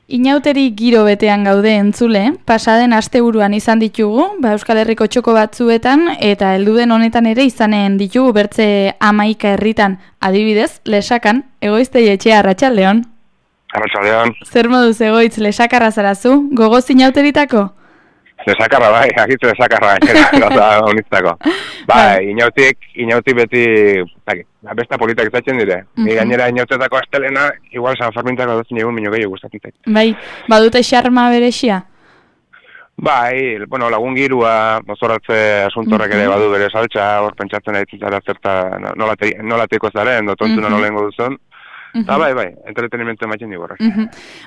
Inauteri giro betean gaude entzule, pasaden asteburuan izan ditugu, Euskal Herriko txoko batzuetan, eta helduden honetan ere izanen ditugu bertze 11 herritan, adibidez, Lesakan, Egoiztei Etxea, arratsaldeon. Arratsaldeon. Zer moduz Egoitz, Lesakarra zarazu, gogoz inauteritako? Lesakarra bai, akitzu lesakarra, gauza honitzako. Bai, inautik beti, besta politak izatzen dire. Gainera inautetako astelena, igual San Fermintako duzin egun minio gehiago gustatzen zait. Bai, badute xarma berexia? Bai, bueno, lagun girua, mozoratze asuntorrek ere badu bere saltza, hor pentsatzen ari zara zerta nolateko zaren, tontuna nolengo duzun. Eta bai, entretenimentu ematen digorrak.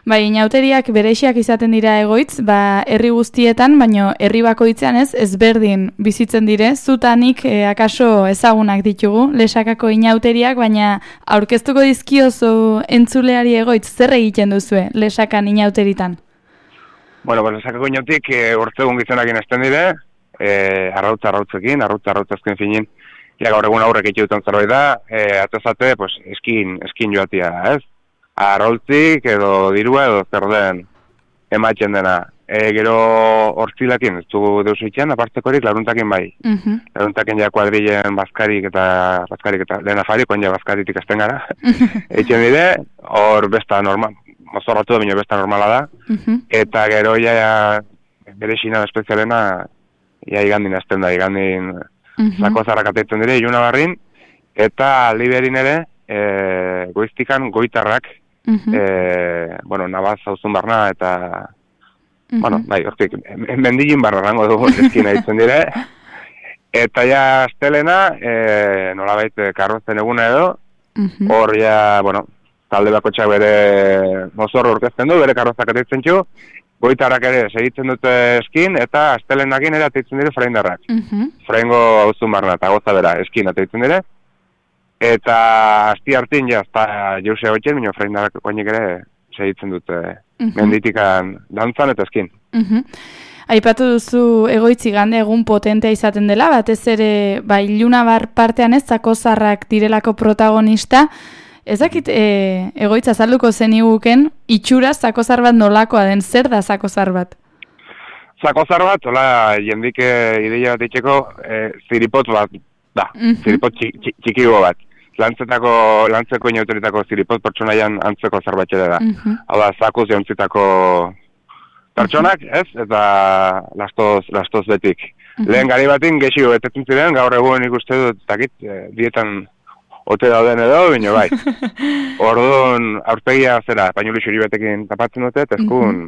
Bai, inauteriak bereixiak izaten dira Egoitz, herri guztietan, baino herri bakoitzean ezberdin bizitzen dire, zutanik akaso ezagunak ditugu, Lesakako inauteriak, baina aurkeztuko dizkiozu entzuleari Egoitz, zer egiten duzue Lesakan inauteritan? Bueno, Lesakako inautik hortzegun gizonakin ezten dire, arrautzekin, arrautzazken finin, ja, gaur egun aurrek itxutuen zerbait da, atezate, pues, eskin joatia, ez? Arrautzik edo dirua edo zer den ematzen dena. Gero hortzilakin, ez du deus itxean, apartekorik laruntakin bai. Laruntakin ja kuadrilen bazkarik eta lehen afarik, oin ja bazkaritik azten gara. Eitzen dire, hor besta normal, mozorratu da, bineo besta normala da. Eta gero ja bere xina espezialena, ja igandin azten da, igandin zakozarrak ateitzen dire, iluna barrin, eta liberin ere, goiztikan goitarrak, nabaz hauzun barna, eta, bai, hortik, mendilin barra rango dugu eskina ditzen dire, eta ja astelena, nolabait karrozen eguna edo, hor ja, talde bakotxak bere mozorro orkezten du, bere karrozak ateitzen txu, goitarrak ere segitzen dute eskin, eta astelenakin ere ateitzen dire freindarrak. Freingo hauzun barna, eta goza bera, eskin ateitzen dire. Eta asti hartin jazta jause goitzen, minio freindarrak oinik ere segitzen dute menditikan dantzan eta eskin. Aipatu duzu Egoitz igande egun potentea izaten dela, batez ere ilunabar partean ez zakozarrak direlako protagonista. Ezakit Egoitz azalduko zeniguken, itxura zakozar bat nolakoa den, zer da zakozar bat? Zakozar bat, hola, jendik ideia bat itxeko, ziripot bat da, ziripot txikigo bat. Lantzeko inauteritako ziripot pertsonaian antzeko zerbatxere da. Hau da, zakuz jauntzitako pertsonak, ez? Eta lastoz betik. Lehen gari batin gehiago betetzen ziren, gaur egun ikuste dut, dietan ote dauden edo, bine bai. Orduan, aurpegia zera, painuli xuri batekin tapatzen dute, eta eskun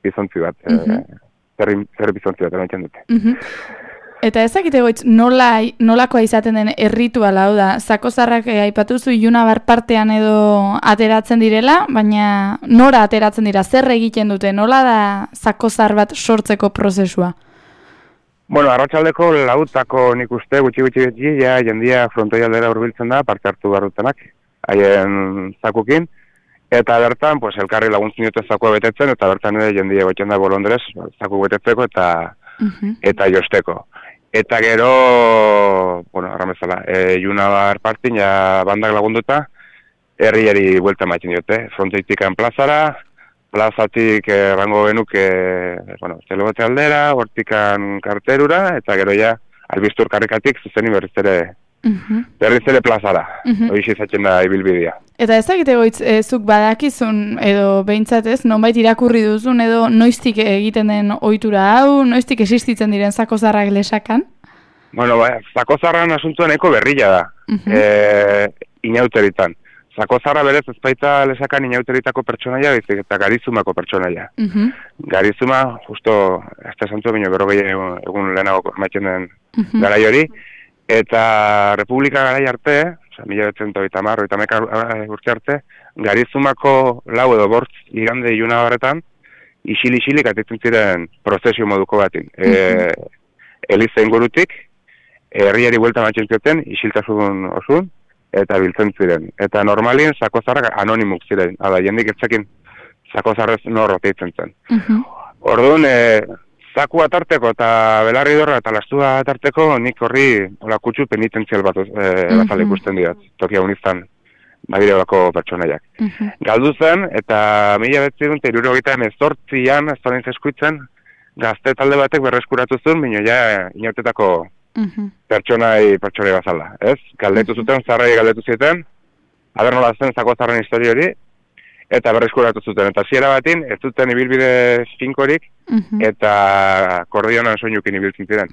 bizontzi bat, zer bizontzi bat, erantxan dute. Eta ezakite Egoitz, nolakoa izaten den errituala, hau da, zakozarrak aipatuzu ilunabar partean edo ateratzen direla, baina nora ateratzen dira, zer egiten dute, nola da zakozar bat sortzeko prozesua? Bueno, arratsaldeko lautako nik uste, gutxi ja jendia frontoi aldera hurbiltzen da, parte hartu barrutenak, haien zakukin, eta bertan, pues, elkarri laguntzen dute zakua betetzen, eta bertan ere jendia goitzen da bolondrez, zaku betetzeko eta josteko. Eta gero, arramezala, Ilunabar partin, ja bandak lagunduta, herriari buelta maiten diote, frontoitikan plazara, plazatik rango genuke, zelogote aldera, hortikan karterura, eta gero ja, albiztur karrikatik, zuzeni berriz ere plazara. Hoiz izatzen da ibilbidea. Eta ezakite Egoitz, zuk badakizun, edo behintzat ez, nonbait irakurri duzun, edo noiztik egiten den ohitura hau, noiztik existitzen diren zakozarrak Lesakan? Bueno, zakozarran asuntuan eko berrila da, inauteritan. Zakozarra berez ezpaita Lesakan inauteritako pertsonaia, eta garizumako pertsonaia. Garizuma, justo, azte santu bineo berrogei egun lehenago maiten den garai hori, eta Republika garai arte, 1930 urte arte, garizumako lau edo bortz igande Ilunabarretan, isil-isilik atitzen ziren prozesio moduko batin. Eliza ingurutik, herriari buelta maiten zioten, isiltasun osun, eta biltzen ziren. Eta normalien zakozarrak anonimuk ziren. Hala, jendik etzakin zakozarrez nor oteitzen zen. Orduan, zaku atarteko eta belarri dorra eta lastua atarteko nik horri kutsu penitentzial bat bazale ikusten diat. Tokia uniztan bagirelako pertsonaiak. Galdu zen, eta 1978an, ez da nintzen eskuitzen, gazte talde batek berreskuratu zuen, baina ja inautetako pertsonai bazala, ez? Galdetu zuten, zarrai galdetu zieten, aber nola zen Zakozarren historia hori, eta berreskuratu zuten. Eta ziera batin, ez zuten ibilbide finkorik, eta kordionan soinukin ibiltzen ziren.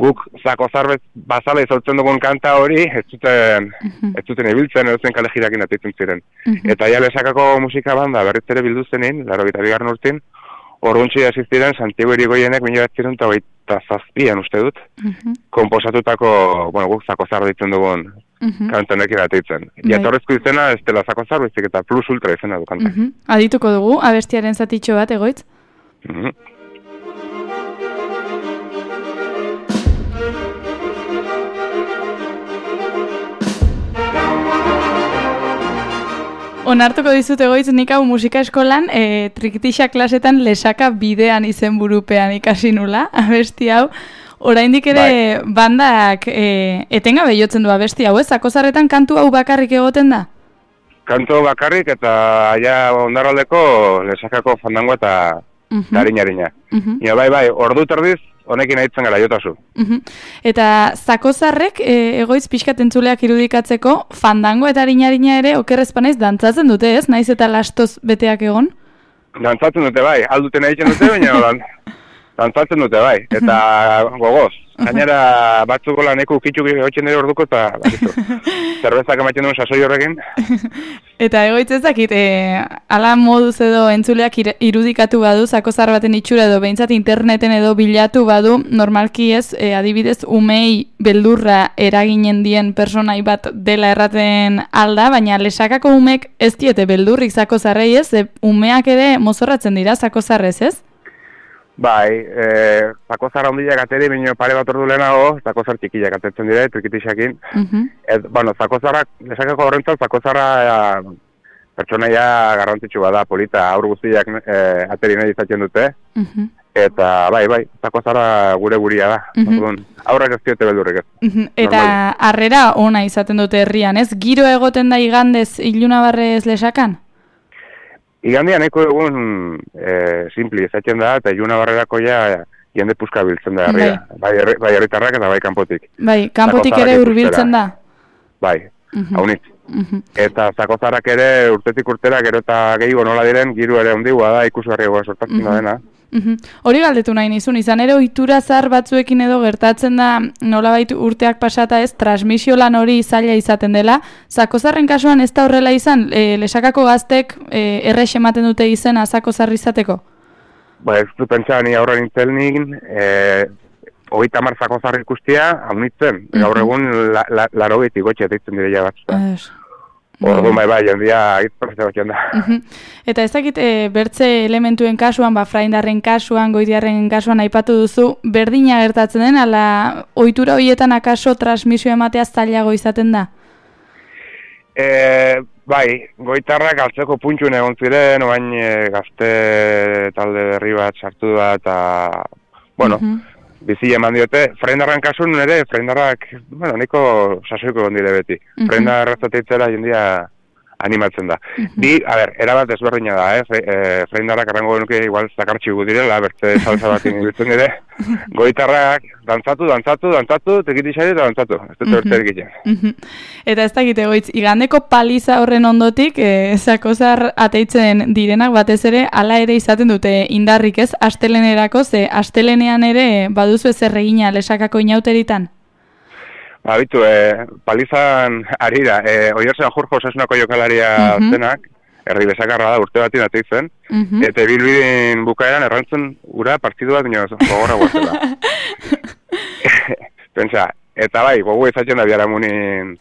Guk Zakozar bazala izautzen dugun kanta hori, ez zuten ibiltzen, edozen kale jirakin atitzen ziren. Eta ja Lesakako musika banda berriz ere bildu zenin, 82. urtin, orduntzi asistiren Santiago Irigoienek 1927an uste dut, konposatutako, guk Zakozar ditzen dugun kantonek iratitzen. Jatorrezko izena ez dela Zakozar, bezik eta plus ultra izena du kanta. Adituko dugu, abestiaren zatitxo bat, Egoitz? Onartuko dizut, Egoitz, nik hau musika eskolan trikitixa klasetan Lesaka bidean izenburupean ikasi nula, abesti hau. Oraindik ere bandak etengabe jotzen du abesti hau, ez? Zakozarretan kantu hau bakarrik egoten da? Kantu bakarrik eta ja Ondarraldeko Lesakako fandango eta harina. Bai, ordu terdiz honekin aitzen gara jotazu. Eta Zakozarrek Egoitz pixkat entzuleak irudikatzeko fandango eta harina ere okerrezpanaiz dantzatzen dute, ez? Naiz eta lastoz beteak egon? Dantzatzen dute bai, alduten egiten dute, baina dantzatzen dute bai, eta gogoz. Gainera batzuko laneko ukitxuk egotzen dira orduko eta zerbezak ematen duen sasoi horrekin. Eta Egoitz ez dakit, ala moduz edo entzuleak irudikatu badu, Zakozar baten itxura edo behintzat interneten edo bilatu badu, normalki ez, adibidez, umei beldurra eraginen dien personai bat dela erraten alda, baina Lesakako umek ez diete beldurrik Zakozarrei ez, umeak ere mozorratzen dira Zakozarrez ez? Bai, Zakozar handiak ateri, bineo pare bat ordu lehenago, Zakozar txikiak atetzen dira, trikitixakin. Zakozarrak, Lesakako horrentzat, Zakozarra pertsonaia garrantzitsu bada, polita, aur guztiak ateri nahi izatzen dute. Eta bai, Zakozarra gure guria da. Aurrak ez diote beldurrik ez. Eta harrera ona izaten dute herrian, ez? Giro egoten da igandez Ilunabarrez Lesakan? Igandian eko egun simpli izatzen da, eta Ilunabarrerako ja jende puska biltzen da herria. Bai herritarrak eta bai kanpotik. Bai, kanpotik ere hurbiltzen da? Bai, haunitz. Eta Zakozarrak ere urtetik urtera gero eta gehiago nola diren, giru ere ondigua da, ikusgarriagoa sortatzen da dena. Hori galdetu nahi nizun, izan ere ohitura zahar batzuekin edo gertatzen da nolabait urteak pasata ez, transmisio lan hori zaila izaten dela. Zakozarren kasuan ez da horrela izan, Lesakako gaztek errex ematen dute izena Zakozar izateko? Ba, ez du pentsa, ni aurra nintzen nik, 30 Zakozar ikustia, haunitzen, gaur egun 80 gotxe deitzen direia batzuta. Ordu bai, jendia hitz da. Eta ez dakit bertze elementuen kasuan, fraindarren kasuan, goitiarren kasuan aipatu duzu, berdina gertatzen den, ala ohitura horietan akaso transmisio ematea zailago izaten da? Bai, goitarrak altzeko puntxun egon ziren, oain gazte talde berri bat sartu da, eta, bizi eman diote. Fraindarren kasun ere, fraindarrak, nahiko sasoiko egon dire beti. Fraindar errazateitzera jendia animatzen da. Erabat ezberdina da, fraindarrak arrango genuke igual zakartxi gu direla, bertze salsa batin ibiltzen dire. Goitarrak, dantzatu, tekitixari eta dantzatu. Ez dut bertze egiten. Eta ez dakite Egoitz, igandeko paliza horren ondotik, Zakozar ateitzen direnak batez ere, ala ere izaten dute indarrik ez, astelenerako, ze astelenean ere baduzu ez erregina Lesakako inauteritan? Bitu, palizan arira, Oiartzen Jorge Osasunako jokalaria zenak, herri Lesakarra da urte batin ateitzen, eta bilbidin bukaeran errantzen ura partidu bat gogorra guazela. Pentsa, eta bai, gogu ezatzen da biaramunin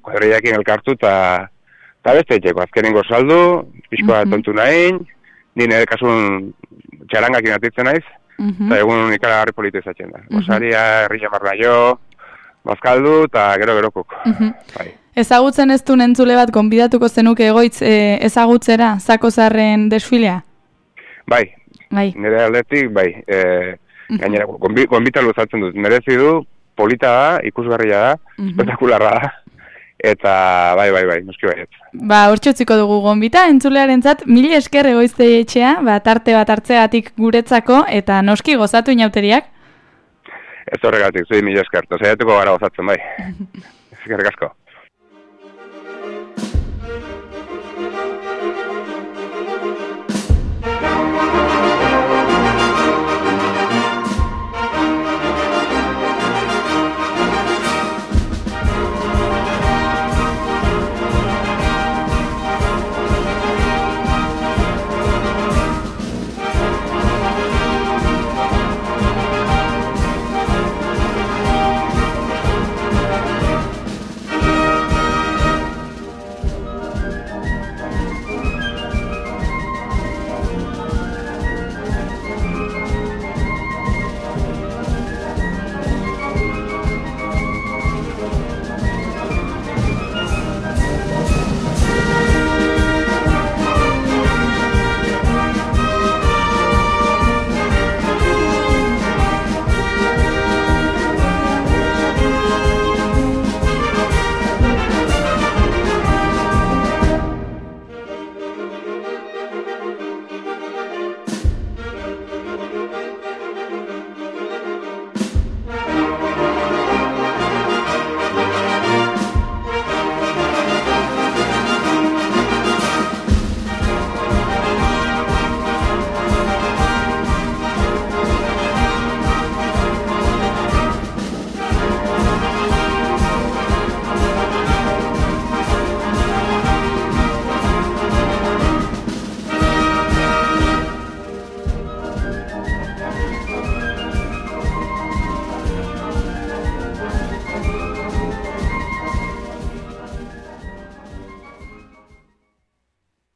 kuadriakin elkartu, eta beste etxeko, azkenengo saldu, pixkoa tontu nahin, nire kasun txarangakin ateitzen naiz, eta egun ikara harri polita ezatzen da. Osaria, herri jamarra jo, bazkaldu eta gero-gerokuk. Ezagutzen ez duen entzule bat gonbidatuko zenuke Egoitz ezagutzera Zakozarren desfilea? Bai. Nire aldetik, bai. Gainera, gonbita luzatzen dut. Merezi du, polita da, ikusgarria da, espetakularra da. Eta bai, noski baiet. Ba, hortxotziko dugu gonbita, entzulearentzat 1000 esker Egoiztetxea, tarte bat hartzeatik guretzako, eta noski gozatu inauteriak. Ez horregatik, zui 1000 esker, eta saiatuko gara gozatzen bai. Eskerrik asko.